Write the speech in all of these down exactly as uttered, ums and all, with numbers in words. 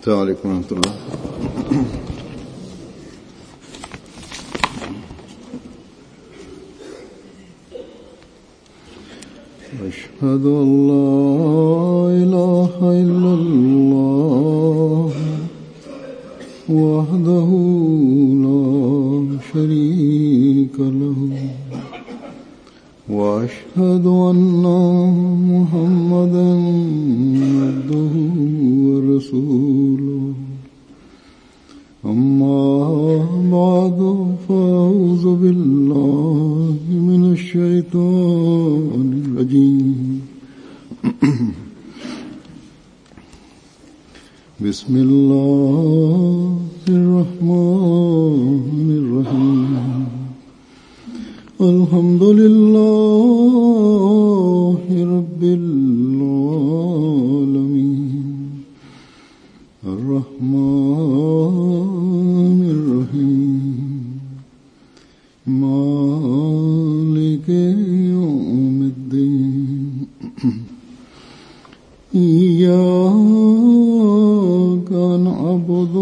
السلام عليكم ورحمة الله. أشهد أن لا إله إلا الله وحده لا شريك له وأشهد أن محمدا عبده ورسوله أما بعد فأعوذ بالله من الشيطان الرجيم بسم الله الرحمن الرحيم الحمد لله رب العالمين الرحمن الرحيم مالك يوم الدين إياك نعبد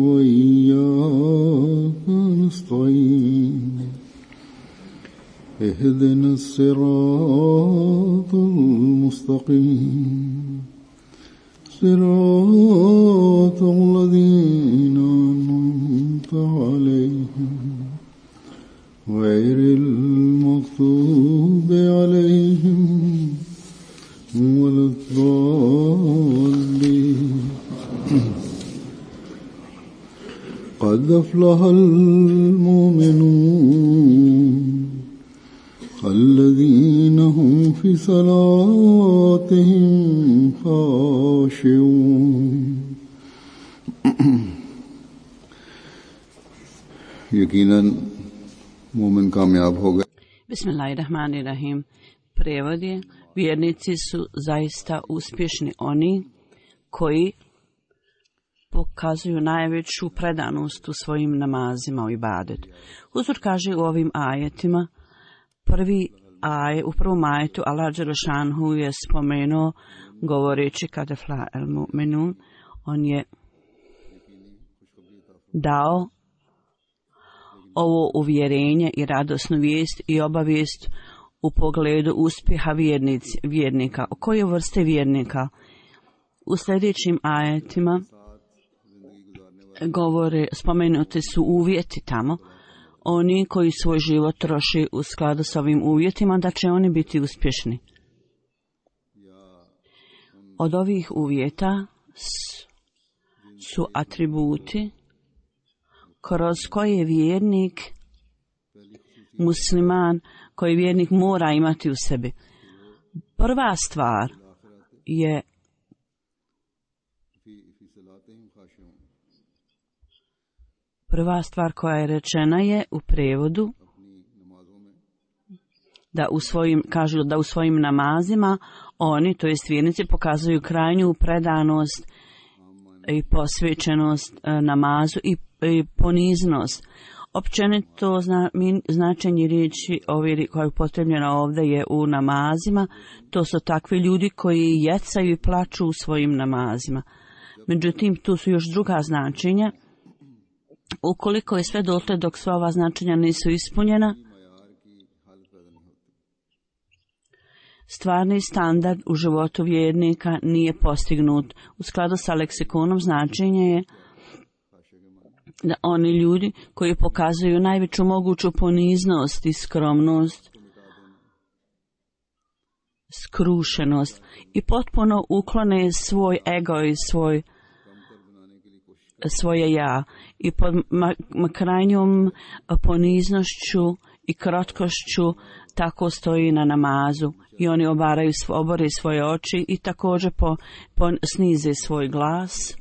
وإياك نستعين اهدنا الصراط المستقيم صراط الذين أنعمت عليهم غير المغضوب عليهم ولا الضالين. قد أفلح المؤمنون الذين هم في صلاتهم خاشعون. यकीनन मोमिन कामयाब हो गए. Bismillahirrahmanirrahim. Prevod je: vjernici su zaista uspješni oni koji pokazuju najveću predanost u svojim namazima u ibadetu. Uzor kaže u ovim ajetima, prvi aj, u prvom ajetu Allah dželešanhu je spomenuo govoreći kada fla el mu'minun, on je dao ovo uvjerenje i radosnu vijest i obavijest u pogledu uspjeha vjernici, vjernika. O koje vrste vjernika? U sljedećim ajetima govore, spomenuti su uvjeti tamo, oni koji svoj život troši u skladu s ovim uvjetima, da će oni biti uspješni. Od ovih uvjeta su atributi kroz koje vjernik, musliman, koji vjernik mora imati u sebi. Prva stvar je Prva stvar koja je rečena je u prevodu da u svojim, kažu da u svojim namazima oni, to jest vjernici, pokazuju krajnju predanost i posvećenost namazu i, i poniznost. Općenito zna, min, značenje riječi ovdje koja je upotrebljena ovdje je u namazima. To su takvi ljudi koji jecaju i plaču u svojim namazima. Međutim, tu su još druga značenja. Ukoliko je sve dotle dok sva ova značenja nisu ispunjena, stvarni standard u životu vjernika nije postignut. U skladu sa leksikonom značenje je da oni ljudi koji pokazuju najveću moguću poniznost i skromnost, skrušenost i potpuno uklone svoj ego i svoj svoje ja i pod ma, ma krajnjom poniznošću i krotkošću tako stoji na namazu i oni obaraju, obore svoje oči i također po, po, snize svoj glas.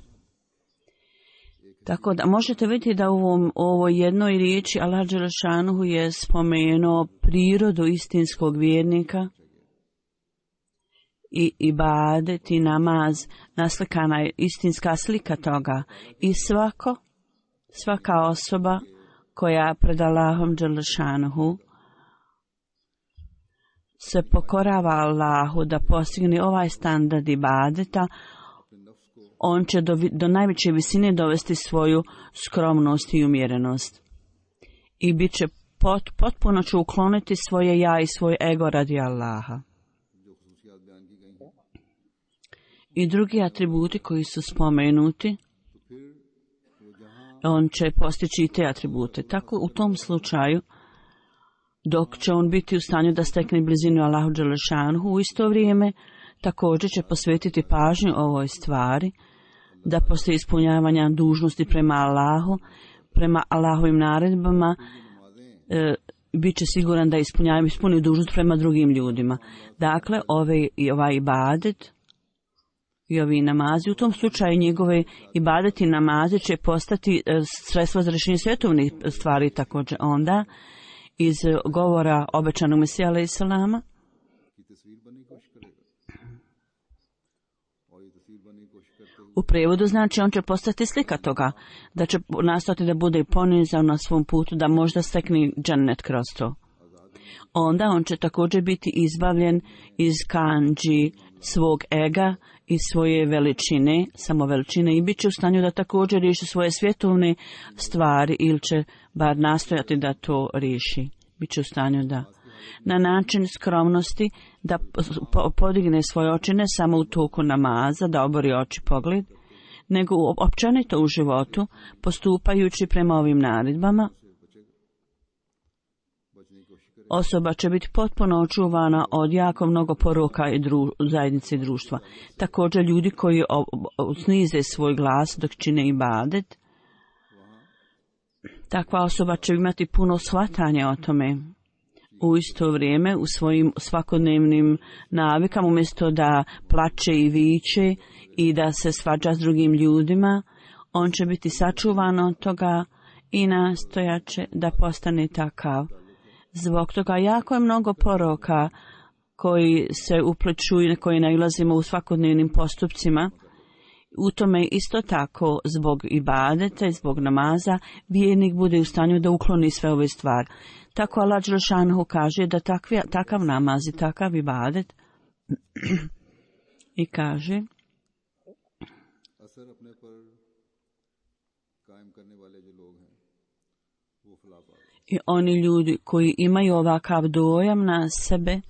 Tako da možete vidjeti da u ovom, ovoj jednoj riječi Allah dželešanuhu je spomenuo prirodu istinskog vjernika i ibadet i namaz, naslikana je istinska slika toga. I svako, svaka osoba koja pred Allahom dželešanuhu se pokorava Allahu da postigne ovaj standard ibadeta, on će do, do najveće visine dovesti svoju skromnost i umjerenost. I bit će pot, potpuno će ukloniti svoje ja i svoj ego radi Allaha. I drugi atributi koji su spomenuti, on će postići i te atribute. Tako u tom slučaju, dok će on biti u stanju da stekne blizinu Allahu Đelešanuhu, u isto vrijeme također će posvetiti pažnju ovoj stvari, da poslije ispunjavanja dužnosti prema Allahu, prema Allahovim naredbama, e, bit će siguran da ispunjava ispuni dužnost prema drugim ljudima. Dakle, ove, i ovaj ibadet i ovi namazi, u tom slučaju njegove ibadeti namazi će postati e, sredstvo za rješenje svjetovnih stvari također onda, iz govora obećanog Mesija alejhi selama. U prijevodu znači on će postati slika toga, da će nastati da bude ponizan na svom putu, da možda stekne džennet kroz to. Onda on će također biti izbavljen iz kandži svog ega i svoje veličine, samo veličine, i bit će u stanju da također riješi svoje svjetovne stvari ili će bar nastojati da to riješi. Biće u stanju da na način skromnosti da podigne svoje oči ne samo u toku namaza, da obori oči pogled, nego općenito u životu, postupajući prema ovim naredbama. Osoba će biti potpuno očuvana od jako mnogo poroka i dru, zajednice i društva. Također ljudi koji o, o, snize svoj glas dok čine ibadet, takva osoba će imati puno shvatanja o tome. U isto vrijeme u svojim svakodnevnim navikama, umjesto da plače i viče i da se svađa s drugim ljudima, on će biti sačuvan od toga i nastojaće da postane takav. Zbog toga jako je mnogo poroka koji se upliču i koji nailazimo u svakodnevnim postupcima. U tome isto tako zbog ibadeta i zbog namaza vjernik bude u stanju da ukloni sve ove stvari. Tako Allah Đelešanuhu kaže da takvi, takav namaz i takav ibadet i kaže i oni ljudi koji imaju ovakav dojam na sebe,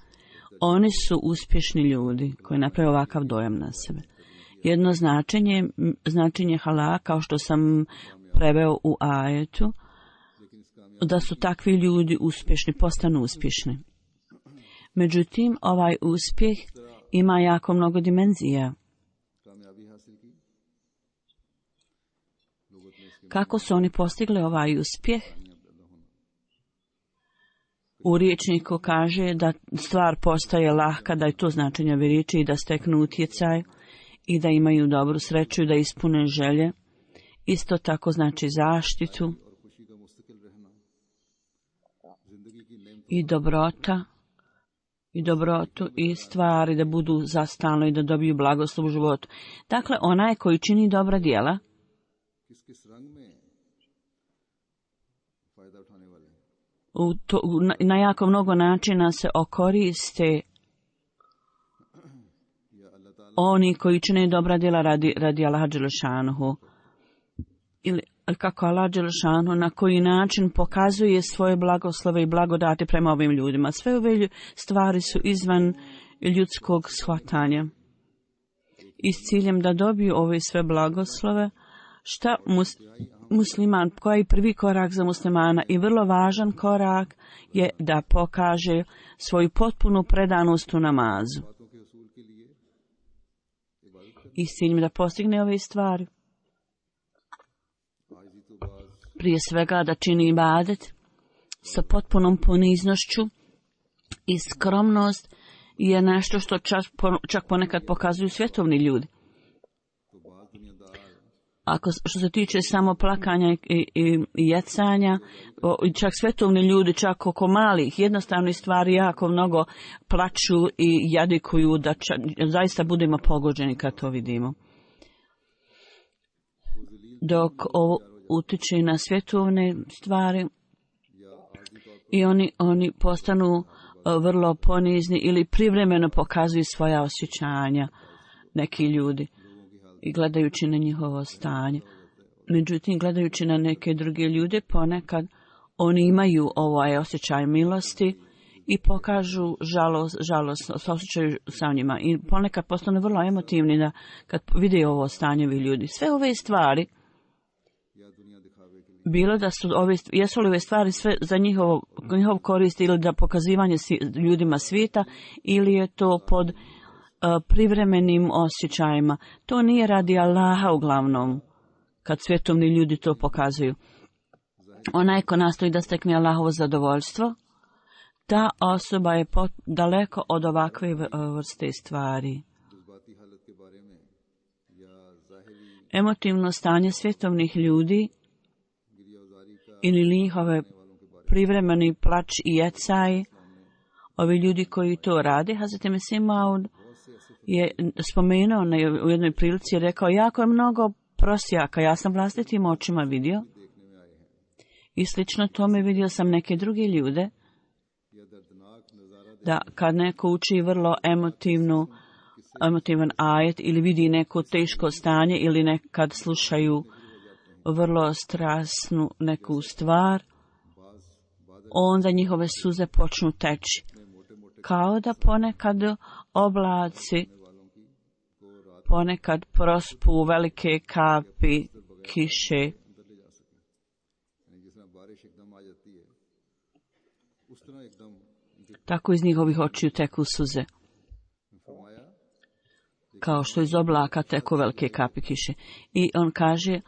oni su uspješni ljudi koji naprave ovakav dojam na sebe. Jedno značenje, značenje hala, kao što sam preveo u ajetu, da su takvi ljudi uspješni, postanu uspješni. Međutim, ovaj uspjeh ima jako mnogo dimenzija. Kako su oni postigli ovaj uspjeh? U riječniku kaže da stvar postaje lahka, da je to značenje ove riječi i da steknu utjecaj i da imaju dobru sreću i da ispune želje. Isto tako znači zaštitu i dobrota i dobrotu i stvari da budu za stalno i da dobiju blagoslov u životu. Dakle, onaj koji čini dobra djela u to, na, na jako mnogo načina se okoriste oni koji čine dobra djela radi, radi Allaha Đelešanuhu. Ili kako Allah Đelešanuhu na koji način pokazuje svoje blagoslove i blagodati prema ovim ljudima. Sve ove stvari su izvan ljudskog shvatanja. I s ciljem da dobiju ove sve blagoslove, šta mus, musliman, koji je prvi korak za muslimana i vrlo važan korak je da pokaže svoju potpunu predanost u namazu. I s ciljem da postigne ove stvari. Prije svega da čini ibadet sa potpunom poniznošću i skromnost je nešto što čak, čak ponekad pokazuju svjetovni ljudi. Ako što se tiče samo plakanja i, i, i jecanja, o, čak svetovni ljudi, čak oko malih, jednostavnih stvari jako mnogo plaču i jadikuju da čak, zaista budemo pogođeni kad to vidimo. Dok ovo utiče na svjetovne stvari i oni, oni postanu vrlo ponizni ili privremeno pokazuju svoja osjećanja neki ljudi. i gledajući na njihovo stanje. Međutim, gledajući na neke druge ljude, ponekad oni imaju ovaj osjećaj milosti i pokažu žalost, žalost osjećaju sa njima. I ponekad postanu vrlo emotivni da kad vide ovo stanje vi ljudi. Sve ove stvari, bilo da su ove, jesu li ove stvari sve za njihovo, njihov korist ili da pokazivanje ljudima svijeta, ili je to pod uh, privremenim osjećajima. To nije radi Allaha uglavnom, kad svjetovni ljudi to pokazuju. Onaj ko nastoji da stekne Allahovo zadovoljstvo, ta osoba je pot, daleko od ovakve vrste stvari. Emotivno stanje svjetovnih ljudi ili njihove privremeni plač i jecaj, ovi ljudi koji to rade, Hazreti Mesih Maud je spomenuo na, u jednoj prilici, je rekao, jako je mnogo prosjaka, ja sam vlastitim očima vidio i slično tome vidio sam neke druge ljude, da kad neko uči vrlo emotivnu, emotivan ajet ili vidi neko teško stanje ili nekad slušaju vrlo strasnu neku stvar, onda njihove suze počnu teći. Kao da ponekad oblaci, ponekad prospu velike kapi kiše. Tako iz njihovih očiju teku suze. Kao što iz oblaka teku velike kapi kiše. I on kaže,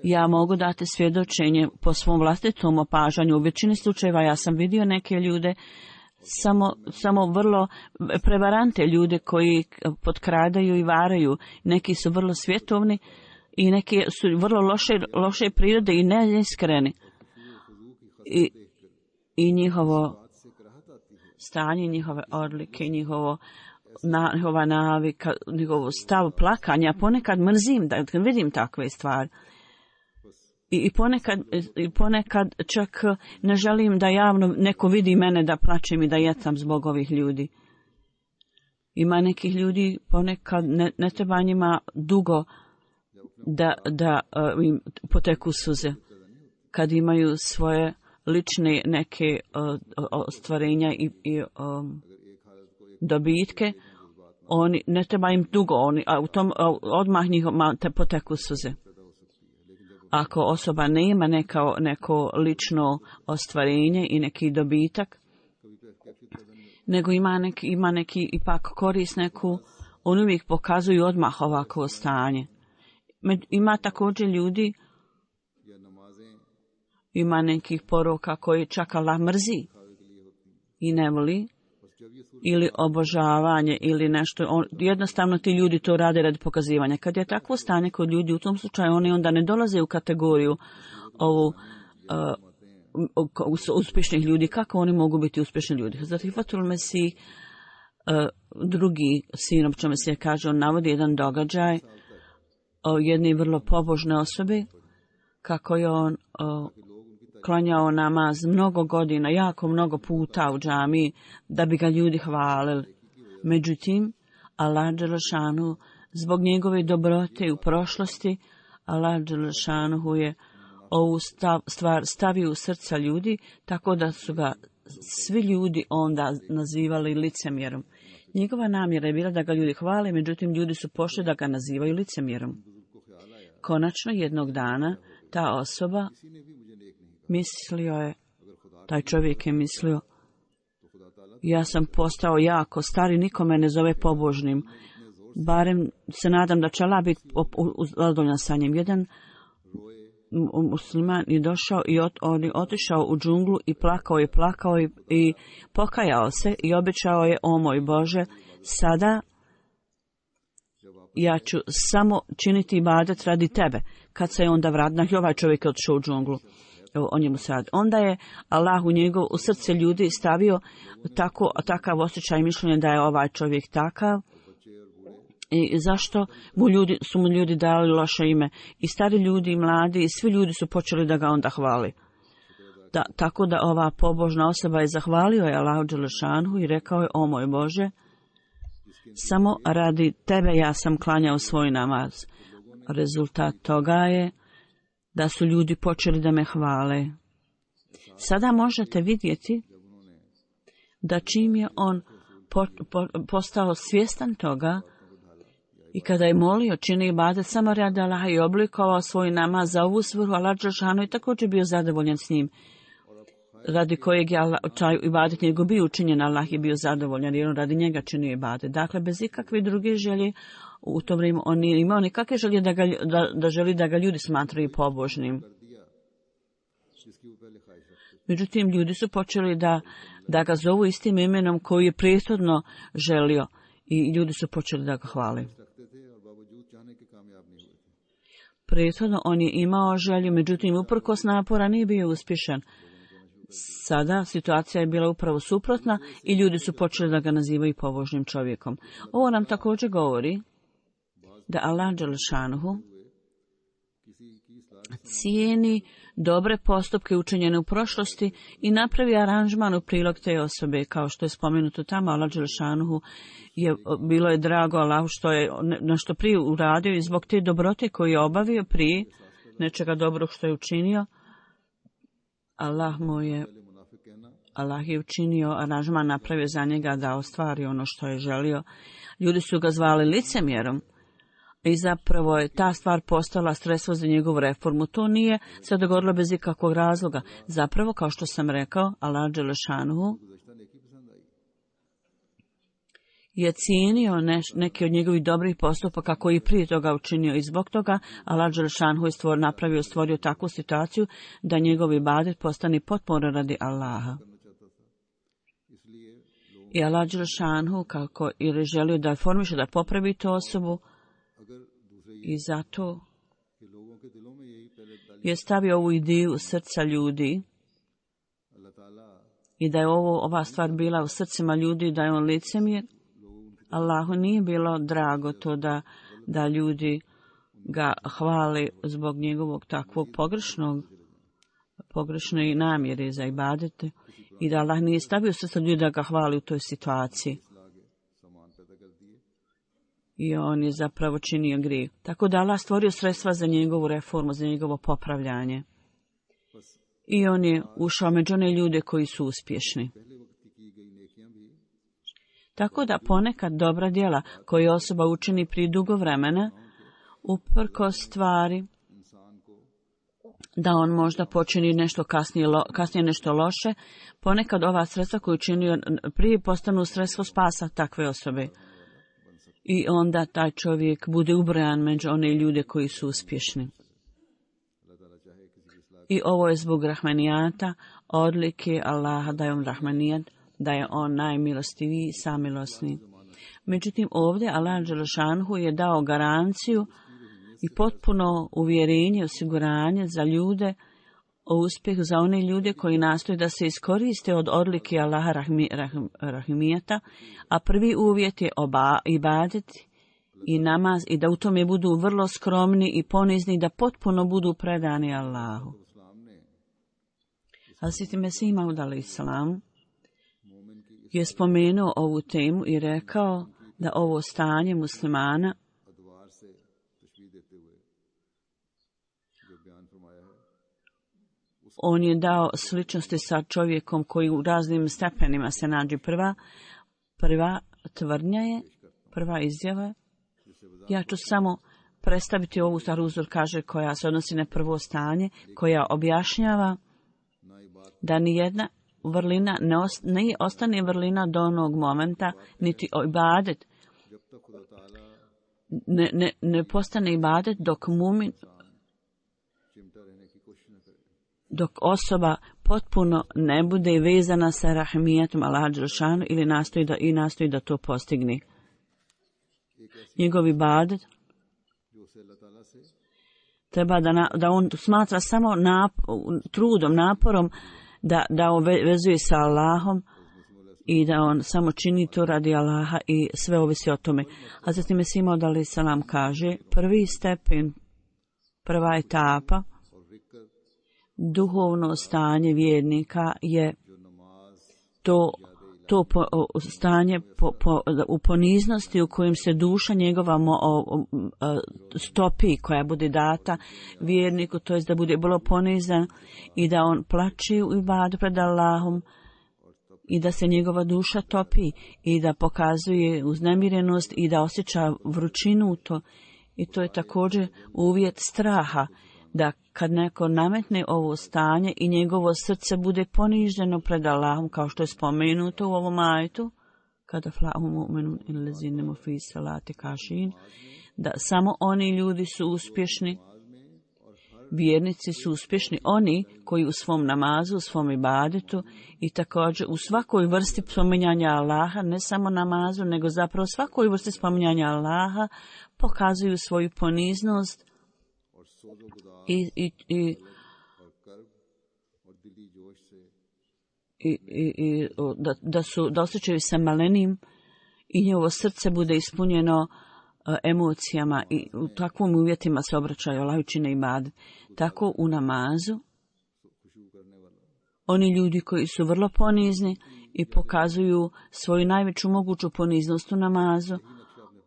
ja mogu dati svjedočenje po svom vlastitom opažanju. U većini slučajeva ja sam vidio neke ljude, samo, samo vrlo prevarante ljude koji potkradaju i varaju. Neki su vrlo svjetovni i neki su vrlo loše, loše prirode i neiskreni. I, i njihovo stanje, njihove odlike, njihovo na, njihova navika, njihovo stav plakanja, ponekad mrzim da kad vidim takve stvari. I, i, ponekad, I ponekad čak ne želim da javno neko vidi mene da plačem i da jecam zbog ovih ljudi. Ima nekih ljudi, ponekad ne, ne treba njima dugo da, da uh, im poteku suze. Kad imaju svoje lične neke uh, ostvarenja i, i um, dobitke, oni ne treba im dugo, oni, a u tom a odmah njih te poteku suze. Ako osoba nema neka, neko lično ostvarenje i neki dobitak, nego ima neki, ima neki ipak korist neku, oni uvijek pokazuju odmah ovako stanje. Ima također ljudi, ima nekih poroka koji čak Allah mrzi i ne voli, ili obožavanje, ili nešto. On, jednostavno ti ljudi to rade radi pokazivanja. Kad je takvo stanje kod ljudi, u tom slučaju oni onda ne dolaze u kategoriju ovu uh, uspješnih ljudi. Kako oni mogu biti uspješni ljudi? Zato Fatul Mesih, uh, drugi sin općo Mesija, kaže, on navodi jedan događaj o jedne vrlo pobožne osobe, kako je on uh, klanjao namaz mnogo godina, jako mnogo puta u džamiji, da bi ga ljudi hvalili. Međutim, Allah dželešanu, zbog njegove dobrote u prošlosti, Allah dželešanu je ovu stav, stvar stavio u srca ljudi, tako da su ga svi ljudi onda nazivali licemjerom. Njegova namjera je bila da ga ljudi hvale, međutim ljudi su pošli da ga nazivaju licemjerom. Konačno jednog dana ta osoba mislio je, taj čovjek je mislio, ja sam postao jako star i niko me ne zove pobožnim. Barem se nadam da će Allah biti zadovoljan sa njim. Jedan musliman je došao i ot, on je otišao u džunglu i plakao i plakao i, i pokajao se i obećao je, o moj Bože, sada ja ću samo činiti ibadet radi tebe. Kad se je onda vratio, ovaj čovjek je otišao u džunglu. O njemu sad. Onda je Allah u njegov, u srce ljudi stavio tako, takav osjećaj mišljenja da je ovaj čovjek takav. I zašto mu ljudi, su mu ljudi dali loše ime? I stari ljudi, i mladi, i svi ljudi su počeli da ga onda hvali. Da, tako da ova pobožna osoba je zahvalio je Allahu dželešanu i rekao je, o moj Bože, samo radi tebe ja sam klanjao svoj namaz. Rezultat toga je da su ljudi počeli da me hvale. Sada možete vidjeti da čim je on po, po, postao svjestan toga i kada je molio, čini ibadet samo radi Allaha i oblikovao svoj namaz za ovu svrhu, Allah dželešanu je također bio zadovoljan s njim, radi kojeg je Allah, taj ibadet njegov bio učinjen, Allah je bio zadovoljan jer on radi njega činio ibadet. Dakle, bez ikakve druge želje, u to vrijeme on nije imao nikakve želje da, ga, da, da želi da ga ljudi smatraju pobožnim. Međutim, ljudi su počeli da, da ga zovu istim imenom koji je prethodno želio i ljudi su počeli da ga hvale. Prethodno on je imao želju, međutim, uprkos napora nije bio uspješan. Sada situacija je bila upravo suprotna i ljudi su počeli da ga nazivaju pobožnim čovjekom. Ovo nam također govori da Allah dželešanuhu cijeni dobre postupke učinjene u prošlosti i napravi aranžman u prilog te osobe, kao što je spomenuto tamo. Allah dželešanuhu je bilo je drago Allahu što je nešto prije uradio i zbog te dobrote koju je obavio prije nečega dobrog što je učinio, Allah mu je Allah je učinio aranžman, napravio za njega da ostvari ono što je želio. Ljudi su ga zvali licemjerom i zapravo je ta stvar postala sredstvo za njegovu reformu. To nije se dogodilo bez ikakvog razloga. Zapravo, kao što sam rekao, Allah dželešanuhu je cijenio neš, neki od njegovih dobrih postupaka koji prije toga učinio i zbog toga Allah dželešanuhu je stvor, napravio, stvorio takvu situaciju da njegov ibadet postane potpuno radi Allaha. I Allah dželešanuhu kako ili želio da formiše, da popravi tu osobu i zato je stavio ovu ideju u srca ljudi i da je ovo, ova stvar bila u srcima ljudi, da je on licemjer. Allahu nije bilo drago to da, da ljudi ga hvale zbog njegovog takvog pogrešnog, pogrešne namjere za ibadete i da Allah nije stavio srca ljudi da ga hvali u toj situaciji. I on je zapravo činio grijeh. Tako da Allah stvorio sredstva za njegovu reformu, za njegovo popravljanje. I on je ušao među one ljude koji su uspješni. Tako da ponekad dobra djela koje osoba učini prije dugo vremena, uprkos stvari da on možda počini nešto kasnije, kasnije nešto loše, ponekad ova sredstva koju učinio prije postanu sredstvo spasa takve osobe. I onda taj čovjek bude ubrojan među one ljude koji su uspješni. I ovo je zbog rahmanijata, odlike Allaha da je on rahmanijat, da je on najmilostiviji i samilosni. Međutim, ovdje Allah dželešanuhu je dao garanciju i potpuno uvjerenje, osiguranje za ljude, o uspjehu za one ljude koji nastoje da se iskoriste od odlike Allaha rahmi, rahim, rahimijata, a prvi uvjet je oba, ibadet i namaz i da u tome budu vrlo skromni i ponizni, da potpuno budu predani Allahu. Hazret Mesih Maud alejhi selam je spomenuo ovu temu i rekao da ovo stanje muslimana on je dao sličnosti sa čovjekom koji u raznim stepenima se nađe. Prva, prva tvrdnja je, prva izjava. Ja ću samo predstaviti ovu staru uzor, kaže, koja se odnosi na prvo stanje, koja objašnjava da nijedna vrlina ne, ost, ne ostane vrlina do onog momenta, niti ibadet ne, ne, ne postane ibadet dok mumin, dok osoba potpuno ne bude vezana sa rahmijetom Allaha dželešanu ili nastoji da, i nastoji da to postigne. Njegov ibadet treba da, na, da on smatra samo nap, trudom, naporom da, da on vezuje sa Allahom i da on samo čini to radi Allaha i sve ovisi o tome. A zatim je Mesih Maud alejhi selam kaže, prvi stepen, prva etapa duhovno stanje vjernika je to to po, o, stanje po, po, u poniznosti u kojem se duša njegova mo, o, o, stopi, koja bude data vjerniku, to jest da bude bilo ponizan i da on plače u ibadu pred Allahom i da se njegova duša topi i da pokazuje uznemirenost i da osjeća vrućinu u to. I to je također uvjet straha, da kad neko nametne ovo stanje i njegovo srce bude poniženo pred Allahom, kao što je spomenuto u ovom ajetu, kada flahu mu'minun illazine fi salati kašin, da samo oni ljudi su uspješni, vjernici su uspješni, oni koji u svom namazu, u svom ibadetu i također u svakoj vrsti spominjanja Allaha, ne samo namazu, nego zapravo svakoj vrsti spominjanja Allaha, pokazuju svoju poniznost i, i, i, i, i, i da, da, su, da osjećaju se malenim i njegovo srce bude ispunjeno uh, emocijama i u takvom uvjetima se obraćaju Allahu i čine ibadet. Tako u namazu oni ljudi koji su vrlo ponizni i pokazuju svoju najveću moguću poniznost u namazu,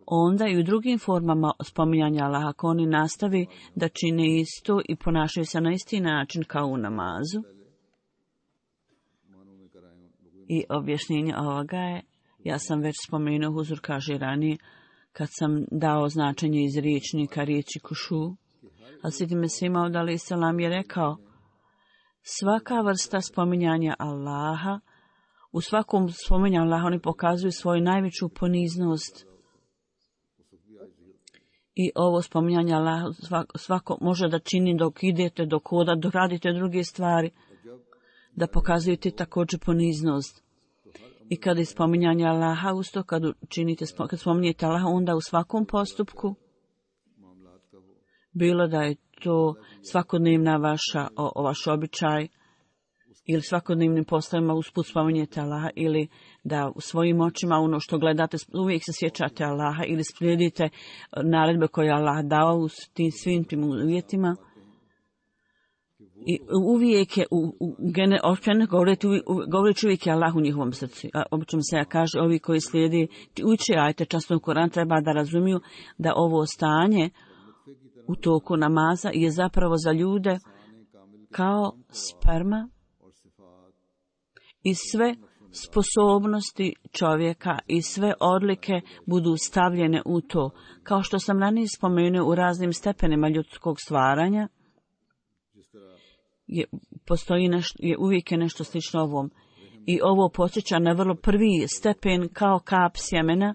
onda i u drugim formama spominjanja Allaha, ako oni nastavi da čine isto i ponašaju se na isti način kao u namazu. I objašnjenje ovoga je, ja sam već spomenuo, Huzur kaže ranije, kad sam dao značenje iz riječnika riječi kušu, a Sidi Mesih Maud alejhi selam je rekao, svaka vrsta spominjanja Allaha, u svakom spominjanju Allaha oni pokazuju svoju najveću poniznost. I ovo spominjanje Allaha svako, svako može da čini dok idete, dok hoda, dok radite druge stvari, da pokazujete također poniznost. I kada je spominjanje Allaha usto, kad činite, kad spominjete Allaha, onda u svakom postupku, bilo da je to svakodnevna vaša, o, o vaš običaj, ili svakodnevnim poslovima usput spominjete Allaha, ili da u svojim očima ono što gledate, uvijek se sjećate Allaha, ili slijedite naredbe koje je Allah dao u tim svim tim uvjetima. I uvijek je, u, u, gene, govoreći uvijek je Allah u njihovom srcu. A obično se ja kaže, ovi koji slijedi, uče ajte časno Koran, treba da razumiju da ovo stanje u toku namaza je zapravo za ljude kao sperma i sve sposobnosti čovjeka i sve odlike budu stavljene u to. Kao što sam ranije spomenuo, u raznim stepenima ljudskog stvaranja je, postoji nešto, je uvijek je nešto slično ovom. I ovo podsjeća na vrlo prvi stepen kao kap sjemena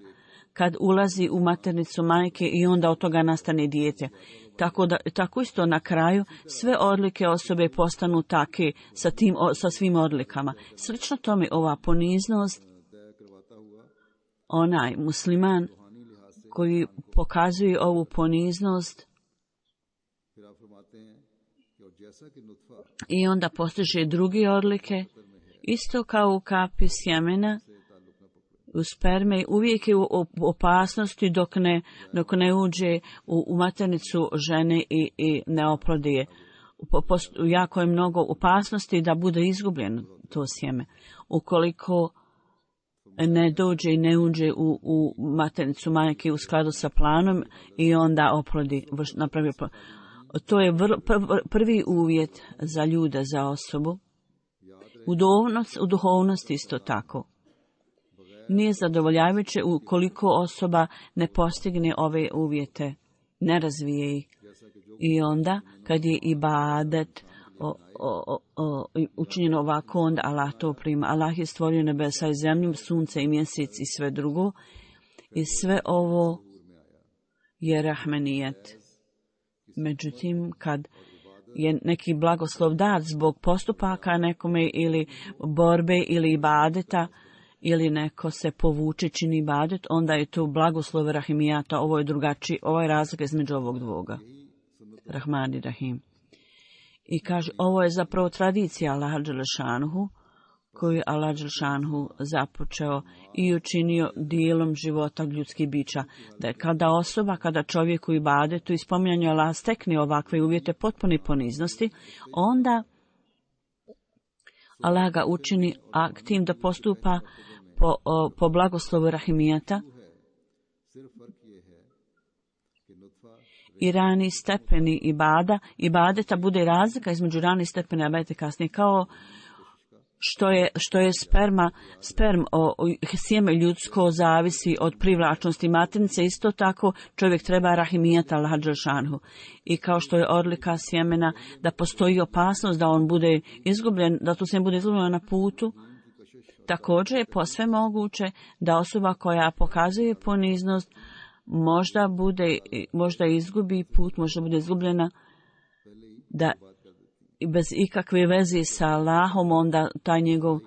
kad ulazi u maternicu majke i onda od toga nastane dijete. Tako, da, tako isto na kraju sve odlike osobe postanu take sa, tim, sa svim odlikama. Slično tome ova poniznost, onaj musliman koji pokazuje ovu poniznost i onda postiže druge odlike, isto kao u kapi sjemena, u sperme, uvijek je u opasnosti dok ne, dok ne uđe u, u maternicu žene i, i ne oplodi je. Jako je mnogo opasnosti da bude izgubljeno to sjeme. Ukoliko ne dođe i ne uđe u, u maternicu majke u skladu sa planom i onda oplodi, napravi oplodi. To je vrlo, prvi uvjet za ljude, za osobu. U duhovnosti, u duhovnosti isto tako. Nije zadovoljavajuće ukoliko osoba ne postigne ove uvjete, ne razvije ih. I onda, kad je ibadet o, o, o, učinjeno ovako, onda Allah to prima. Allah je stvorio nebesa i zemlju, sunce i mjesec i sve drugo. I sve ovo je rahmenijet. Međutim, kad je neki blagoslov dat zbog postupaka nekome ili borbe ili ibadeta, ili neko se povuče čini ibadet, onda je to blagoslov rahimijata. Ovo je drugačiji, ovo je razlika između ovog dvoga. Rahman i Rahim. I kaže, ovo je zapravo tradicija Allaha dželešanuhu, koju je Allah dželešanuhu započeo i učinio dijelom života ljudskih bića. Da je kada osoba, kada čovjek u ibadetu i spominjanju Allaha stekne ovakve uvjete potpune poniznosti, onda Allah ga učini aktivnim da postupa po, o, po blagoslovu rahimijata i rani stepeni ibada, ibadeta bude razlika između rani stepeni ibadeta kasnije, kao što je, što je sperma, sperm, o, o, sjeme ljudsko zavisi od privlačnosti maternice, isto tako čovjek treba rahimijata Allaha dželšanhu. I kao što je odlika sjemena da postoji opasnost da on bude izgubljen, da tu se bude izgubljen na putu, također je posve moguće da osoba koja pokazuje poniznost možda bude, možda izgubi put, možda bude izgubljena, da bez ikakve veze sa Allahom, onda taj njegov,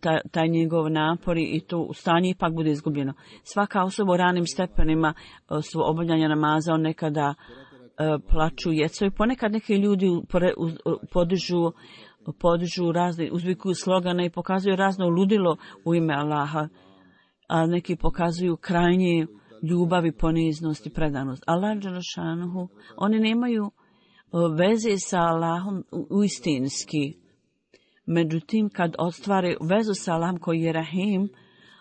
taj, taj njegov napori i to stanje ipak bude izgubljeno. Svaka osoba u ranim stepenima svog obavljanja namaza, on nekada uh, plaču jeco i ponekad neki ljudi pore, uz, podižu, podižu razne, uzvikuju slogane i pokazuju razno ludilo u ime Allaha, a neki pokazuju krajnje ljubav i poniznost i predanost. Allah dželešanohu, oni nemaju veze sa Allahom uistinski. Međutim, kad ostvare vezu sa Allahom koji je Rahim,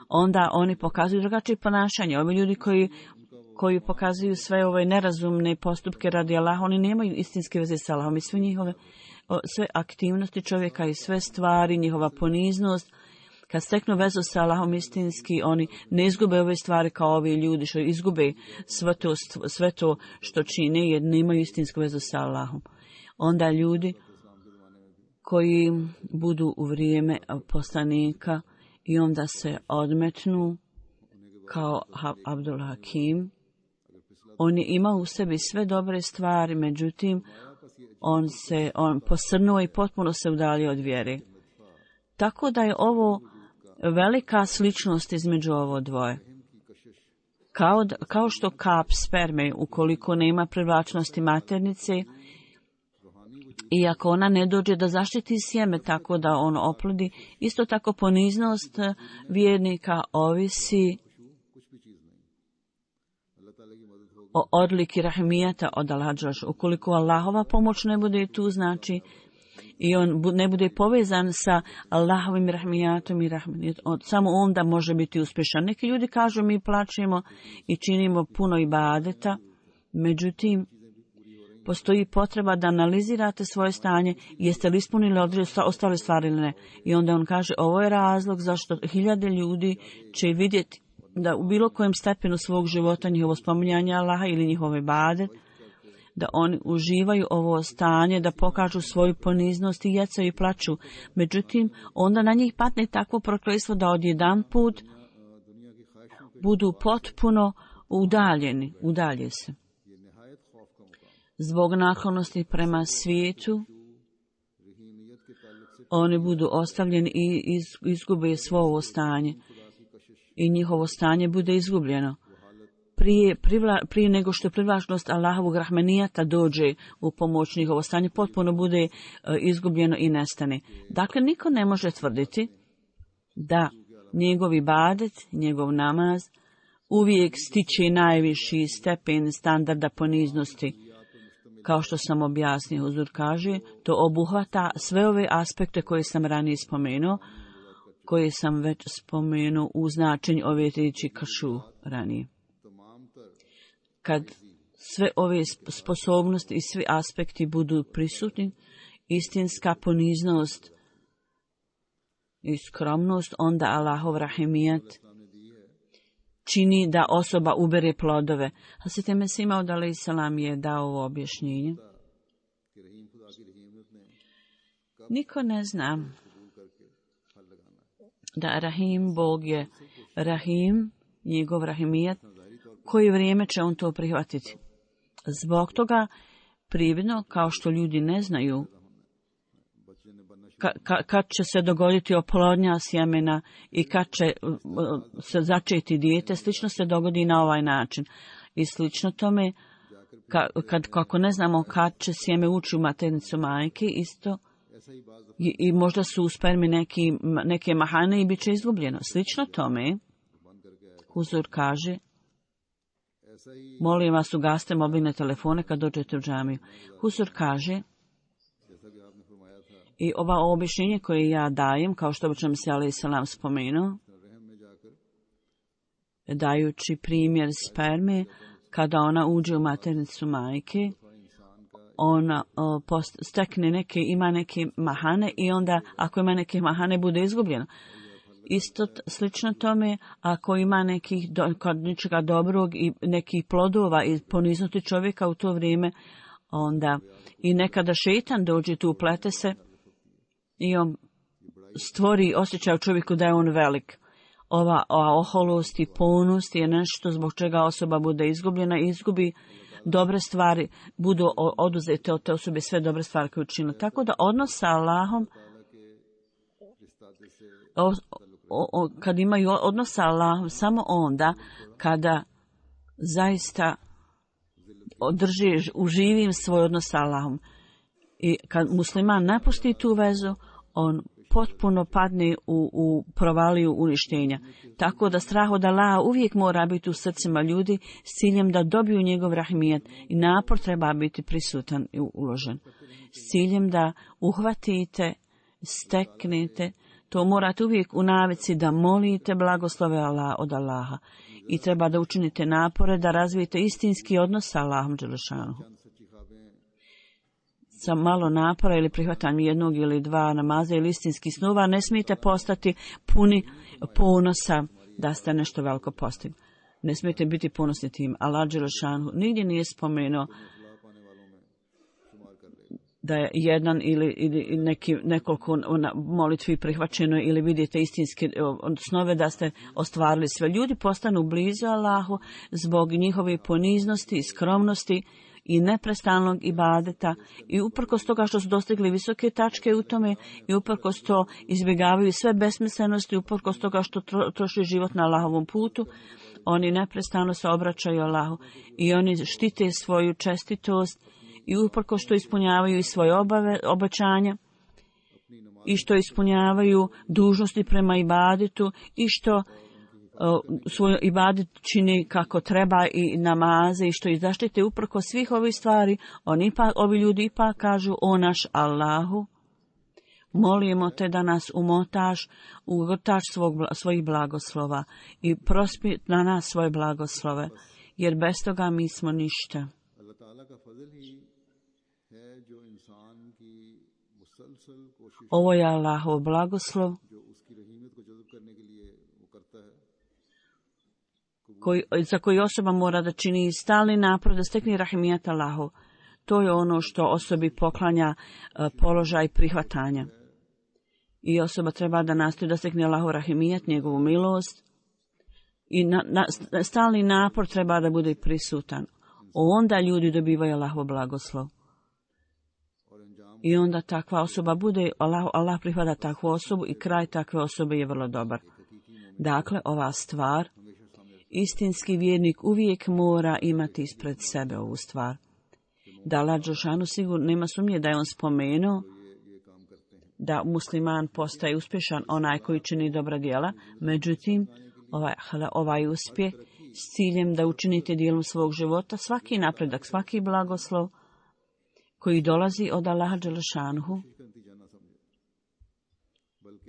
onda oni pokazuju drugačije ponašanje. Ovi ljudi koji, koji pokazuju sve ove nerazumne postupke radi Allaha, oni nemaju istinske veze sa Allahom i sve njihove, sve aktivnosti čovjeka i sve stvari, njihova poniznost, kad steknu vezu sa Allahom istinski, oni ne izgube ove stvari kao ovi ljudi što izgube sve to, sve to što čine jer nemaju istinsku vezu sa Allahom. Onda ljudi koji budu u vrijeme poslanika i onda se odmetnu kao Abdul Hakim, on je imao u sebi sve dobre stvari, međutim on se on posrnuo i potpuno se udalio od vjere. Tako da je ovo velika sličnost između ovo dvoje. Kao, kao što kap sperme, ukoliko nema privlačnosti maternice, i ako ona ne dođe da zaštiti sjeme tako da on oplodi, isto tako poniznost vjernika ovisi o odliki rahmijata od Allaha dželešanohu. Ukoliko Allahova pomoć ne bude tu, znači i on ne bude povezan sa Allahovim rahmijatom i rahmijatom, samo onda može biti uspješan. Neki ljudi kažu mi plaćemo i činimo puno ibadeta, međutim postoji potreba da analizirate svoje stanje, jeste li ispunili ostale stvari ili ne. I onda on kaže ovo je razlog zašto hiljade ljudi će vidjeti da u bilo kojem stepenu svog života njihovo spominjanje Allaha ili njihove ibadet, da oni uživaju ovo stanje, da pokažu svoju poniznost i jecaju i plaću. Međutim, onda na njih patne takvo prokletstvo da odjedan put budu potpuno udaljeni, udalje se. Zbog naklonosti prema svijetu, oni budu ostavljeni i izgube svo ovo stanje. I njihovo stanje bude izgubljeno. Prije, privla, prije nego što privlačnost Allahovog rahmenijata dođe u pomoć, njihovo stanje potpuno bude uh, izgubljeno i nestane. Dakle, niko ne može tvrditi da njegov ibadet, njegov namaz uvijek stiče najviši stepen standarda poniznosti. Kao što sam objasnio, Huzur kaže, to obuhvata sve ove aspekte koje sam ranije spomenuo, koje sam već spomenuo u značenju ove riječi kašu ranije. Kad sve ove sposobnosti i svi aspekti budu prisutni, istinska poniznost i skromnost, onda Allahov rahimijat čini da osoba ubere plodove. Hazret Mesih Maud alejhi selam je dao ovo objašnjenje. Niko ne zna da Rahim, Bog je Rahim, njegov rahimijat, koje vrijeme će on to prihvatiti. Zbog toga prividno, kao što ljudi ne znaju ka, ka, kad će se dogoditi oplodnja sjemena i kad će se začeti dijete, slično se dogodi na ovaj način. I slično tome, ka, kad, kako ne znamo kad će sjeme ući u maternicu majke, isto i, i možda su u spermi neki, neke mahane i bit će izgubljeno. Slično tome, Huzur kaže, molim vas, ugasite mobilne telefone kad dođete u džamiju. Huzur kaže, i ova objašnjenje koje ja dajem, kao što bi nam se alejhi selam spomenuo, dajući primjer sperme, kada ona uđe u maternicu majke, ona o, post, stekne neke, ima neke mahane i onda ako ima neke mahane bude izgubljeno. Isto t, slično tome, ako ima nekih do, kod ničega dobrog i nekih plodova i poniznuti čovjeka u to vrijeme, onda i nekada šeitan dođe tu, uplete se i on stvori osjećaj u čovjeku da je on velik. Ova, ova oholost i ponost je nešto zbog čega osoba bude izgubljena i izgubi dobre stvari, budu oduzete od te osobe sve dobre stvari koje učinila. Tako da odnos sa Allahom, o, o, o, kad imaju odnos sa Allahom, samo onda kada zaista održi, uživim svoj odnos sa Allahom. I kad musliman napusti tu vezu, on potpuno padne u, u provaliju uništenja. Tako da strah od Allaha uvijek mora biti u srcima ljudi s ciljem da dobiju njegov rahmijet i napor treba biti prisutan i uložen. S ciljem da uhvatite, steknete, to morate uvijek u navici da molite blagoslove Allah od Allaha i treba da učinite napore da razvijete istinski odnos sa Allahom dželešanuhu. Sa malo napora ili prihvatanjem jednog ili dva namaza ili istinskih snova ne smijete postati puni ponosa da ste nešto veliko postigli. Ne smijete biti ponosni tim. Allah dželešanuhu nigdje nije spomenuo da je jedan ili, ili neki, nekoliko molitvi prihvaćeno ili vidite istinske snove da ste ostvarili sve. Ljudi postanu blizu Allahu zbog njihove poniznosti i skromnosti i neprestanog ibadeta i uprkos toga što su dostigli visoke tačke u tome i uprkos to izbjegavaju sve besmislenosti, uprkos toga što tro, troši život na Allahovom putu, oni neprestano se obraćaju Allahu i oni štite svoju čestitost i uprkos što ispunjavaju i svoje obave, obećanja i što ispunjavaju dužnosti prema ibadetu i što svoj ibadet čini kako treba i namaze i što ih zaštite uprkos svih ovih stvari, oni ipak, ovi ljudi ipak kažu: o naš Allahu, molimo te da nas umotaš u vrtač svog, svojih blagoslova i prospi na nas svoje blagoslove, jer bez toga mi smo ništa. Ovo je Allahov blagoslov Koji, za koji osoba mora da čini stalni napor da stekne rahimijat Allahu. To je ono što osobi poklanja uh, položaj prihvatanja. I osoba treba da nastoji da stekne Allahu rahimijat, njegovu milost. I na, na, stalni napor treba da bude prisutan. Onda ljudi dobivaju Allahov blagoslov. I onda takva osoba bude, Allah, Allah prihvata takvu osobu i kraj takve osobe je vrlo dobar. Dakle, ova stvar, istinski vjernik uvijek mora imati ispred sebe ovu stvar. Da Allah dželešanu sigurno nema sumnje da je on spomenuo da musliman postaje uspješan onaj koji čini dobra djela, međutim ovaj, ovaj uspjeh s ciljem da učinite dijelom svog života svaki napredak, svaki blagoslov koji dolazi od Allaha dželešanuhu,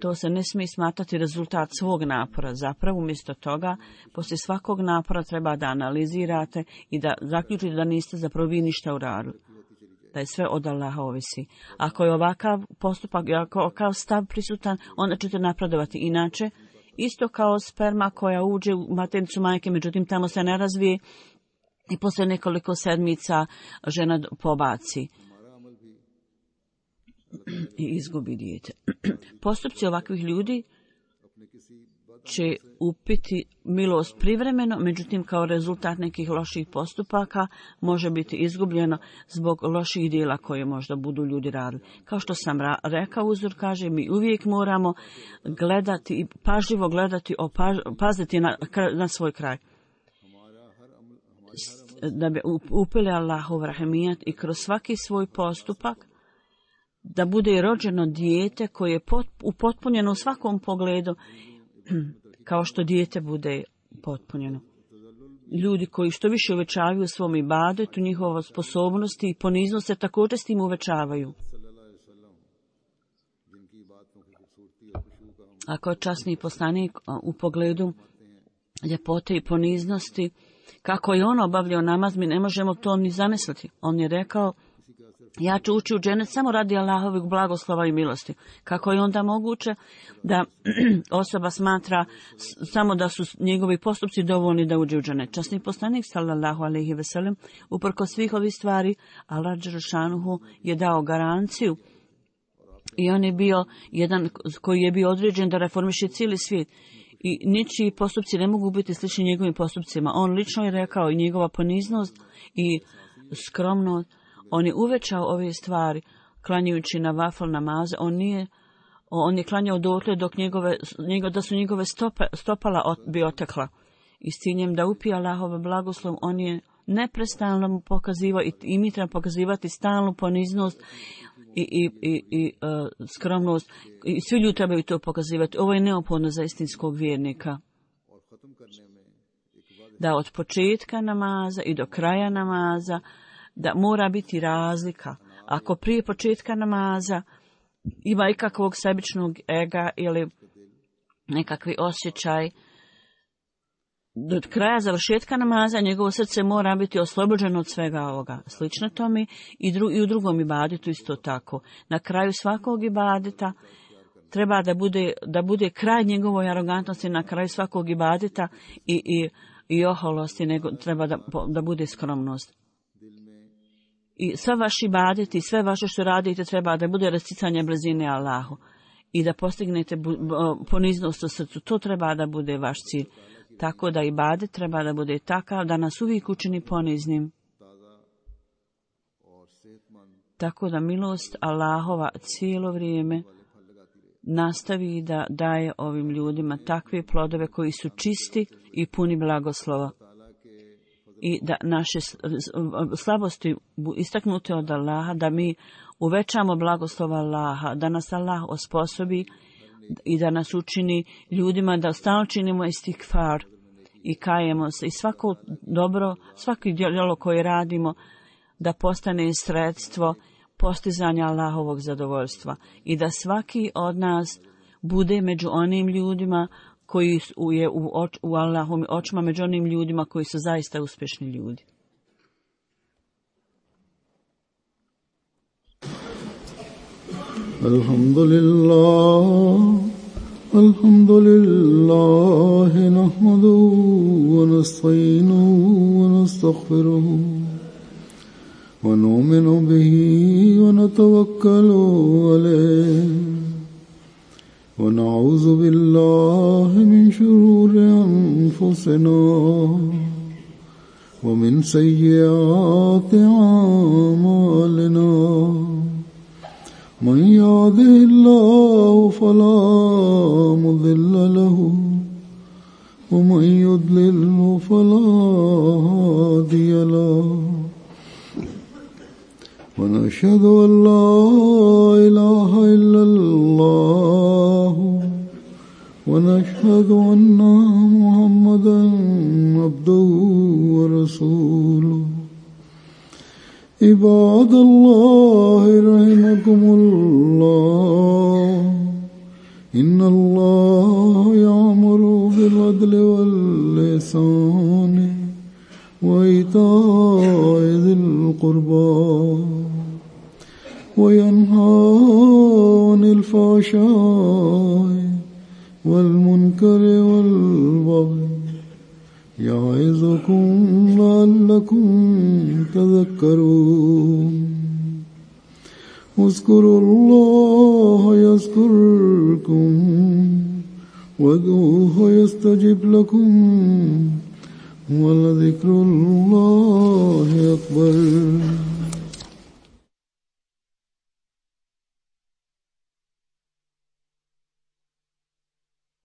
to se ne smije smatrati rezultat svog napora. Zapravo, umjesto toga, poslije svakog napora treba da analizirate i da zaključite da niste zapravo vi ništa uradili. Da je sve od Allaha ovisi. Ako je ovakav postupak, ako je ovakav stav prisutan, onda ćete napredovati. Inače, isto kao sperma koja uđe u maternicu majke, međutim tamo se ne razvije i poslije nekoliko sedmica žena pobaci i izgubi dijete. Postupci ovakvih ljudi će upiti milost privremeno, međutim kao rezultat nekih loših postupaka može biti izgubljeno zbog loših dijela koje možda budu ljudi radili. Kao što sam ra- rekao, uzor kaže, mi uvijek moramo gledati i pažljivo gledati, opaž, paziti na, na svoj kraj. Da bi upili Allahov rahimijat i kroz svaki svoj postupak da bude rođeno dijete koje je pot, upotpunjeno u svakom pogledu, kao što dijete bude potpunjeno. Ljudi koji što više uvećavaju u svom ibadetu, njihova sposobnosti i poniznost se također s tim uvećavaju. Ako je časni poslanik u pogledu ljepote i poniznosti, kako je on obavljao namaz, mi ne možemo to ni zamisliti. On je rekao, ja ću ući u dženet samo radi Allahovih blagoslova i milosti. Kako je onda moguće da osoba smatra samo da su njegovi postupci dovoljni da uđe u dženet? Časni poslanik sallallahu alejhi ve sellem uprkos svih ovih stvari, Allah dželešanuhu je dao garanciju i on je bio jedan koji je bio određen da reformiše cijeli svijet. I ničiji postupci ne mogu biti slični njegovim postupcima. On lično je rekao i njegova poniznost i skromnost. On je uvećao ove stvari klanjajući na vafl namaze. On nije, on je klanjao dotle dok njegove, njego, da su njegove stope, stopala ot, bi otekla. I s ciljem da upije Allahove blagoslov, on je neprestano mu pokazivao i, i mi treba pokazivati stalnu poniznost i, i, i, i uh, skromnost. I svi ljudi trebaju to pokazivati. Ovo je neophodno za istinskog vjernika. Da od početka namaza i do kraja namaza, da mora biti razlika. Ako prije početka namaza ima ikakvog sebičnog ega ili nekakvi osjećaj, do kraja završetka namaza njegovo srce mora biti oslobođeno od svega ovoga. Slično tome i, dru, i u drugom ibadetu isto tako. Na kraju svakog ibadeta treba da bude, da bude kraj njegovoj arogantnosti, na kraju svakog ibadeta i, i, i oholosti, nego treba da, da bude skromnost. I sve vaši ibadeti, sve vaše što radite treba da bude rasticanje blizine Allahu i da postignete poniznost u srcu. To treba da bude vaš cilj. Tako da ibadet treba da bude takav da nas uvijek učini poniznim. Tako da milost Allahova cijelo vrijeme nastavi da daje ovim ljudima takve plodove koji su čisti i puni blagoslova. I da naše slabosti istaknute od Allaha, da mi uvećamo blagoslova Allaha, da nas Allah osposobi i da nas učini ljudima da stalno činimo istikfar i kajemo se. I svako dobro, svaki djelo koje radimo da postane sredstvo postizanja Allahovog zadovoljstva. I da svaki od nas bude među onim ljudima koji je u, oč, u Allahovim očima, među onim ljudima koji su zaista uspješni ljudi. Alhamdulillah, alhamdulillah, nahmaduhu wa nasta'inuhu wa nastaghfiruhu wa nu'minu bihi wa natawakkalu alayhi. ونعوذ بالله من شرور أنفسنا ومن سيئات أعمالنا من يهده الله فلا مضل له ومن يضلل فلا هادي له ونشهد أن لا إله إلا الله ونشهد أن محمدا عبده ورسوله عباد الله رحمكم الله إن الله يأمر بالعدل والإحسان وإيتاء ذي القربى وينهى عن الفحشاء والمنكر والبغي يعظكم لعلكم تذكرون اذكروا الله يذكركم وادعوه يستجب لكم ولذكر الله أكبر.